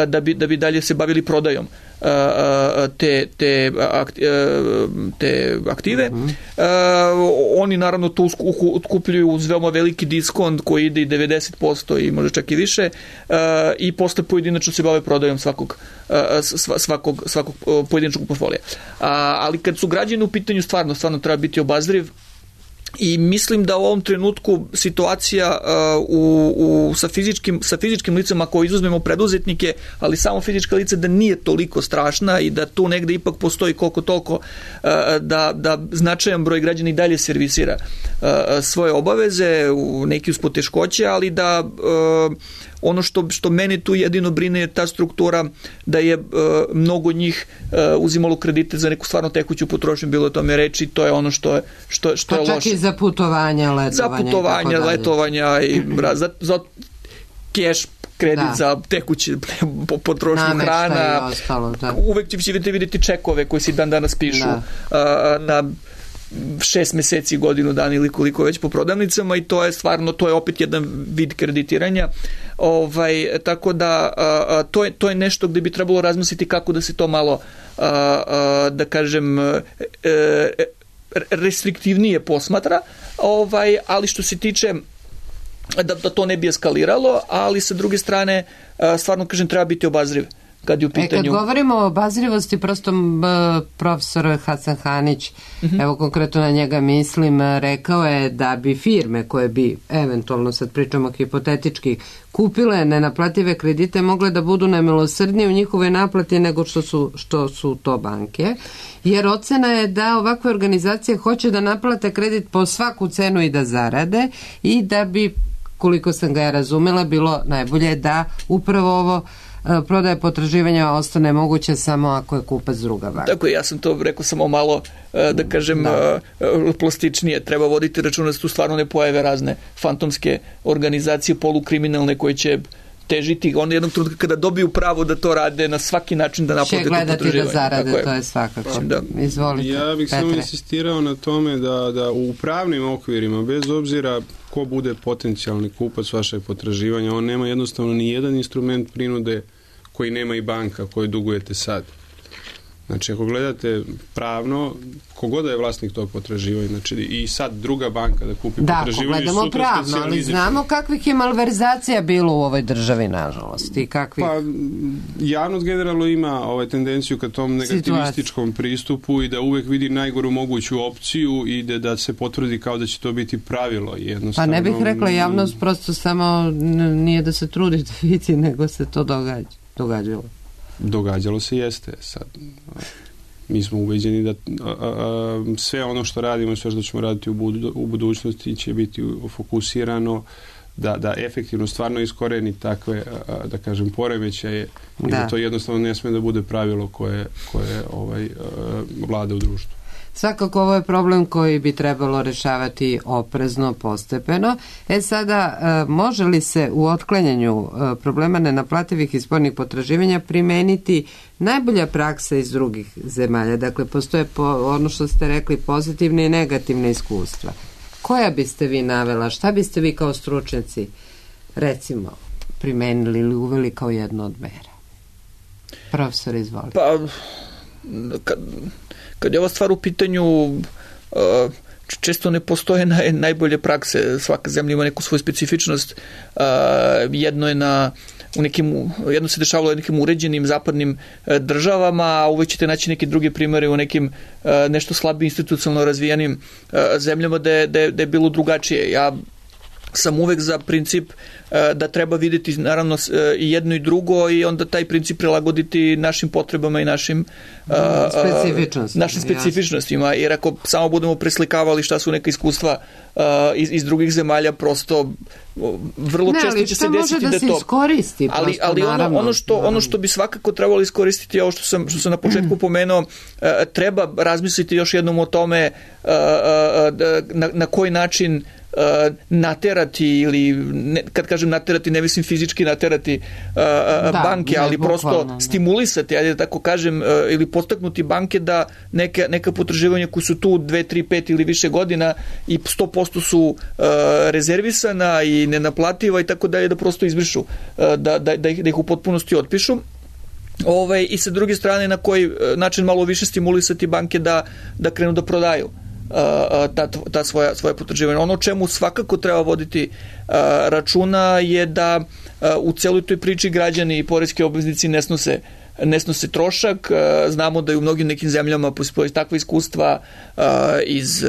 B: da bi, da bi dalje se bavili prodajom te, te, te aktive. Uh-huh. Oni naravno to otkupljuju uz veoma veliki diskont koji ide i devedeset posto i možda čak i više i posle pojedinačno se bave prodajom svakog svakog, svakog pojedinačnog portfolija. Ali kad su građani u pitanju, stvarno, stvarno treba biti obazriv i mislim da u ovom trenutku situacija uh, u, u, sa, fizičkim, sa fizičkim licama, ako izuzmemo preduzetnike, ali samo fizička lica, da nije toliko strašna i da tu negde ipak postoji koliko toliko uh, da, da značajan broj građana i dalje servisira uh, svoje obaveze, u neki uz poteškoće, ali da uh, ono što, što mene tu jedino brine je ta struktura da je uh, mnogo njih uh, uzimalo kredite za neku stvarno tekuću potrošnju, bilo je tome reči, to je ono što je, što, što je loše.
C: Pa čak i za putovanja, letovanja.
B: Za putovanja, letovanja i za, za keš kredit, da, za tekuće potrošnju hrana.
C: Ostalo, da.
B: Uvek ćete vidjeti čekove koji se dan danas pišu da. uh, na šest meseci, godinu dana ili koliko već po prodavnicama i to je stvarno, to je opet jedan vid kreditiranja. Ovaj, tako da a, to, je, to je nešto gde bi trebalo razmisliti kako da se to malo a, a, da kažem e, restriktivnije posmatra, ovaj, ali što se tiče da, da to ne bi eskaliralo, ali sa druge strane a, stvarno kažem treba biti obazriv. Kad, u pitanju...
C: e, kad govorimo o obazrivosti, prosto b, profesor Hasan Hanić, uh-huh. evo konkretno na njega mislim, rekao je da bi firme koje bi eventualno, sad pričamo hipotetički, kupile nenaplative kredite mogle da budu nemilosrdnije u njihovoj naplati nego što su, što su to banke, jer ocena je da ovakve organizacije hoće da naplate kredit po svaku cenu i da zarade i da bi, koliko sam ga ja razumela, bilo najbolje da upravo ovo prodaja potraživanja ostane moguća samo ako je kupac druga banka.
B: Tako je, ja sam to rekao samo malo, da kažem, da. plastičnije. Treba voditi računa da se tu stvarno ne pojave razne fantomske organizacije polukriminalne koje će težiti onda jednog trenutka kada dobiju pravo da to rade na svaki način da naplate to potraživanje.
C: Će gledati da zarade, je. To je svakako. Da. Izvolite,
D: ja bih
C: Petre.
D: samo insistirao na tome da, da u pravnim okvirima, bez obzira ko bude potencijalni kupac vašeg potraživanja, on nema jednostavno ni jedan instrument prinude koji nema i banka koju dugujete sad. Znači, ako gledate pravno, kogoda je vlasnik tog potraživanja, znači i sad druga banka da kupi
C: da,
D: potraživanje...
C: Da, ako gledamo pravno, ali znamo kakvih je malverzacija bilo u ovoj državi, nažalost. I kakvih...
D: Pa, javnost generalno ima ovaj tendenciju ka tom negativističkom Situacija. pristupu i da uvek vidi najgoru moguću opciju i da, da se potvrdi kao da će to biti pravilo. Jednostavno...
C: Pa ne bih rekla javnost, prosto samo nije da se trudi da vidi, nego se to događa, događalo.
D: Događalo se jeste. Sad, mi smo ubeđeni da a, a, sve ono što radimo i sve što ćemo raditi u, budu, u budućnosti će biti fokusirano da, da efektivno stvarno iskoreni takve, a, da kažem, poremećaje i da. da to jednostavno ne sme da bude pravilo koje, koje ovaj, a, vlada u društvu.
C: Svakako ovo je problem koji bi trebalo rešavati oprezno, postepeno. E sada, može li se u otklanjanju problema nenaplativih i spornih potraživanja primeniti najbolja praksa iz drugih zemalja? Dakle, postoje po, ono što ste rekli, pozitivne i negativne iskustva. Koja biste vi navela? Šta biste vi kao stručnjaci, recimo, primenili ili uveli kao jednu od mera? Profesor, izvolite.
B: Pa, kad... Kad je ova stvar u pitanju, često ne postoje naj, najbolje prakse, svaka zemlja ima neku svoju specifičnost, jedno je na u nekim, jedno se dešavalo u nekim uređenim zapadnim državama, a uvek ćete naći neke druge primere u nekim nešto slabije institucionalno razvijenim zemljama da je, da je, da je bilo drugačije. Ja sam uvek za princip da treba vidjeti naravno i jedno i drugo i onda taj princip prilagoditi našim potrebama i našim
C: specifičnostima,
B: našim specifičnostima, jer ako samo budemo preslikavali šta su neka iskustva iz, iz drugih zemalja, prosto vrlo
C: ne,
B: često će se desiti
C: da,
B: da
C: se
B: to
C: iskoristi,
B: ali, ali ono,
C: naravno,
B: ono, što,
C: naravno.
B: ono što bi svakako trebalo iskoristiti je ovo što sam, što sam na početku pomenuo, treba razmisliti još jednom o tome na, na koji način naterati ili ne, kad kažem naterati ne mislim fizički naterati uh, da, banke, ali ne, prosto bukvalno, stimulisati, ajde da tako kažem, uh, ili podstaknuti banke da neke, neka potraživanja koji su tu dve, tri, pet ili više godina i sto posto su uh, rezervisana i nenaplativa i tako dalje, da prosto izbrišu, uh, da, da, da, ih, da ih u potpunosti otpišu. Ove, i sa druge strane na koji način malo više stimulisati banke da, da krenu da prodaju ta, ta svoja, svoja potraživanja. Ono o čemu svakako treba voditi računa je da u celoj toj priči građani i poreski obveznici ne snose ne snose trošak. Znamo da je u mnogim nekim zemljama postoji takva iskustva iz,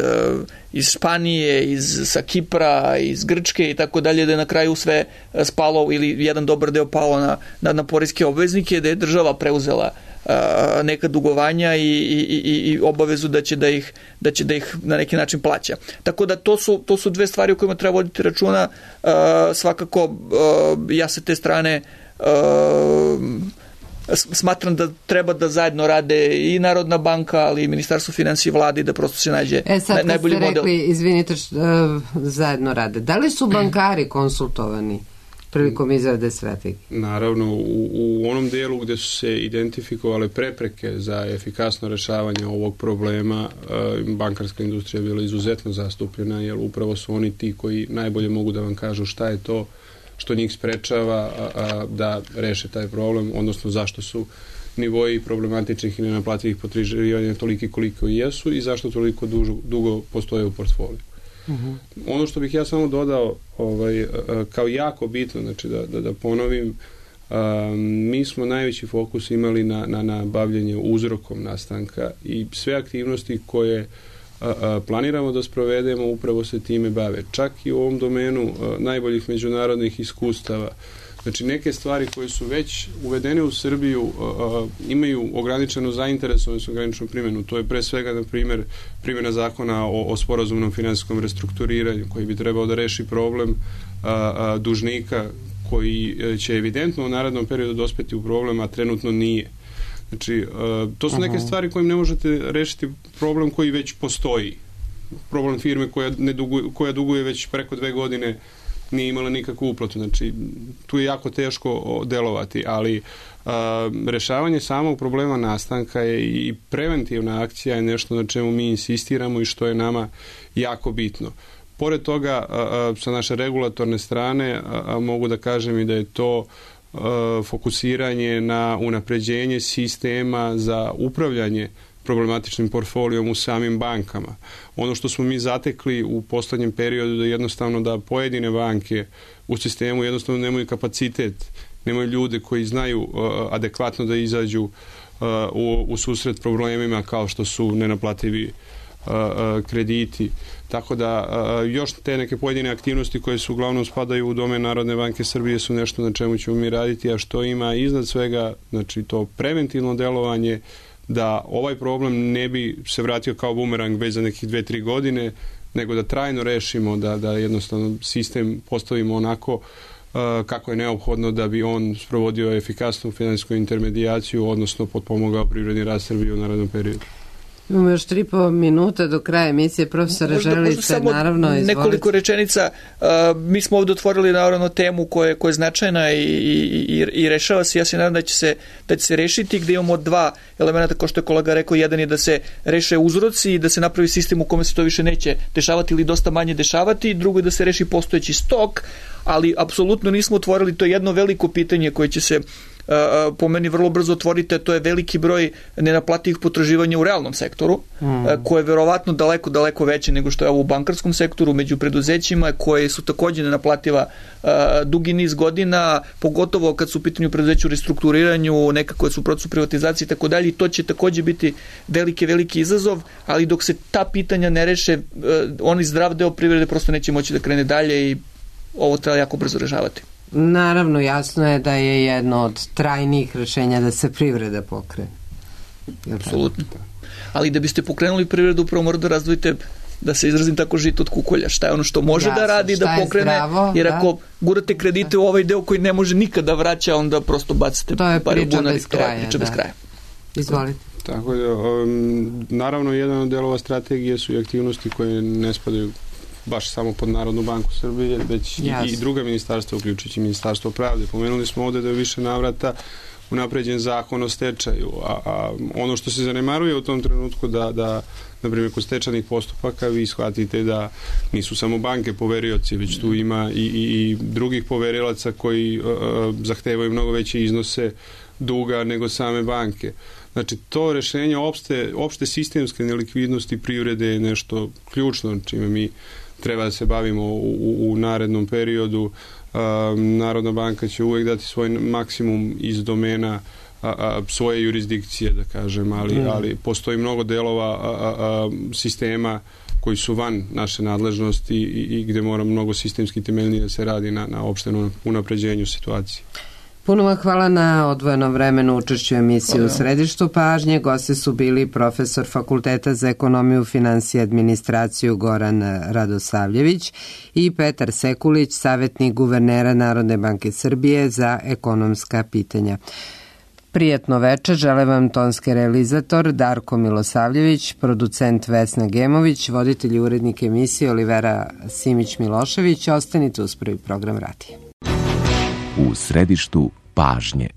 B: iz Španije, iz, sa Kipra, iz Grčke i tako dalje, da je na kraju sve spalo ili jedan dobar deo palo na, na, na poreske obveznike, da je država preuzela neka dugovanja i, i, i obavezu da će da ih, da će da ih na neki način plaća. Tako da to su, to su dve stvari o kojima treba voditi računa. Svakako ja sa te strane smatram da treba da zajedno rade i Narodna banka, ali i Ministarstvo finansija i vlade, da prosto se nađe
C: e, sad,
B: najbolji model. E sad kad ste
C: rekli, izvinite, što, uh, zajedno rade. Da li su bankari konsultovani prilikom izrade strategije?
D: Naravno, u, u onom dijelu gdje su se identifikovale prepreke za efikasno rešavanje ovog problema, uh, bankarska industrija je bila izuzetno zastupljena, jer upravo su oni ti koji najbolje mogu da vam kažu šta je to što njih sprečava a, a, da reše taj problem, odnosno zašto su nivoji problematičnih i nenaplativih potraživanja toliki koliko i jesu i zašto toliko dužo, dugo postoje u portfoliju. Uh-huh. Ono što bih ja samo dodao ovaj, a, kao jako bitno, znači da, da, da ponovim, a, mi smo najveći fokus imali na, na, na bavljenje uzrokom nastanka i sve aktivnosti koje A, a, planiramo da sprovedemo upravo se time bave. Čak i u ovom domenu a, najboljih međunarodnih iskustava. Znači neke stvari koje su već uvedene u Srbiju a, a, imaju ograničenu zainteresovanost, ograničenu primjenu. To je pre svega, na primjer, primjena zakona o, o sporazumnom finansijskom restrukturiranju koji bi trebao da reši problem a, a, dužnika koji će evidentno u narednom periodu dospeti u problem, a trenutno nije. Znači, to su neke stvari kojim ne možete rešiti problem koji već postoji. Problem firme koja, ne duguje, koja duguje već preko dve godine nije imala nikakvu uplatu. Znači, tu je jako teško delovati, ali a, rešavanje samog problema nastanka je i preventivna akcija je nešto na čemu mi insistiramo i što je nama jako bitno. Pored toga, a, a, sa naše regulatorne strane a, a, mogu da kažem i da je to a, fokusiranje na unapređenje sistema za upravljanje problematičnim portfolijom u samim bankama. Ono što smo mi zatekli u poslednjem periodu da jednostavno da pojedine banke u sistemu jednostavno nemaju kapacitet, nemaju ljude koji znaju uh, adekvatno da izađu uh, u, u susret problemima kao što su nenaplativi uh, uh, krediti. Tako da uh, još te neke pojedine aktivnosti koje su uglavnom spadaju u domen Narodne banke Srbije su nešto na čemu ćemo mi raditi, a što ima iznad svega, znači to preventivno delovanje, da ovaj problem ne bi se vratio kao bumerang već za nekih dve, tri godine, nego da trajno rešimo, da, da jednostavno sistem postavimo onako uh, kako je neophodno da bi on sprovodio efikasnu finansijsku intermedijaciju, odnosno potpomogao privredni rast Srbije u narednom periodu.
C: Imamo još tri po minuta do kraja emisije. Profesore, želite samo naravno izvolite.
B: Nekoliko rečenica. Uh, mi smo ovdje otvorili naravno temu koja, koja je značajna i, i, i rešava se. Ja se nadam da će se, da će se rešiti, gde imamo dva elementa, kao što je kolega rekao. Jedan je da se reše uzroci i da se napravi sistem u kome se to više neće dešavati ili dosta manje dešavati. Drugo je da se reši postojeći stok, ali apsolutno nismo otvorili to jedno veliko pitanje koje će se po meni vrlo brzo otvorite, to je veliki broj nenaplativih potraživanja u realnom sektoru, mm. koje je verovatno daleko, daleko veće nego što je ovo u bankarskom sektoru, među preduzećima koje su takođe nenaplativa dugi niz godina, pogotovo kad su u pitanju preduzeća u restrukturiranju, neka koje su u procesu privatizacije i tako dalje, i to će takođe biti veliki, veliki izazov, ali dok se ta pitanja ne reše, oni zdrav deo privrede prosto neće moći da krene dalje i ovo treba jako brzo rešavati.
C: Naravno, jasno je da je jedno od trajnijih rešenja da se privreda pokrene.
B: Apsolutno. Ali da biste pokrenuli privredu, upravo mora da razdvojite, da se izrazim tako, žito od kukolja. Šta je ono što može jasno, da radi, da pokrene, zdravo, jer ako da. gurate kredite u ovaj deo koji ne može nikada da vraća, onda prosto bacite
C: pare u bunar. To je priča
B: da. bez kraja.
C: Izvolite.
D: Tako da, um, naravno, jedan od delova strategije su i aktivnosti koje ne spadaju baš samo pod Narodnu banku Srbije, već i, i druga ministarstva, uključujući Ministarstvo pravde. Pomenuli smo ovde da je više navrata unapređen zakon o stečaju, a, a ono što se zanemaruje u tom trenutku da, da na primjer, kod stečajnih postupaka vi shvatite da nisu samo banke poverioci, već tu ima i, i, i drugih poverilaca koji uh, zahtevaju mnogo veće iznose duga nego same banke. Znači, to rešenje opšte, opšte sistemske nelikvidnosti privrede je nešto ključno, čime mi treba da se bavimo u, u, u narednom periodu. Um, Narodna banka će uvek dati svoj maksimum iz domena a, a, svoje jurisdikcije, da kažem, ali, mm. ali postoji mnogo delova a, a, a, sistema koji su van naše nadležnosti i, i gde mora mnogo sistemski temeljnije da se radi na, na opštenom unapređenju situacije.
C: Puno vam hvala na odvojenom vremenu učešću emisiju u Središtu pažnje. Gosti su bili profesor Fakulteta za ekonomiju, finansije i administraciju Goran Radosavljević i Petar Sekulić, savjetnik guvernera Narodne banke Srbije za ekonomska pitanja. Prijatno večer, žele vam tonski realizator Darko Milosavljević, producent Vesna Gemović, voditelj i urednik emisije Olivera Simić-Milošević. Ostanite uz prvi program radija.
K: U središtu pažnje.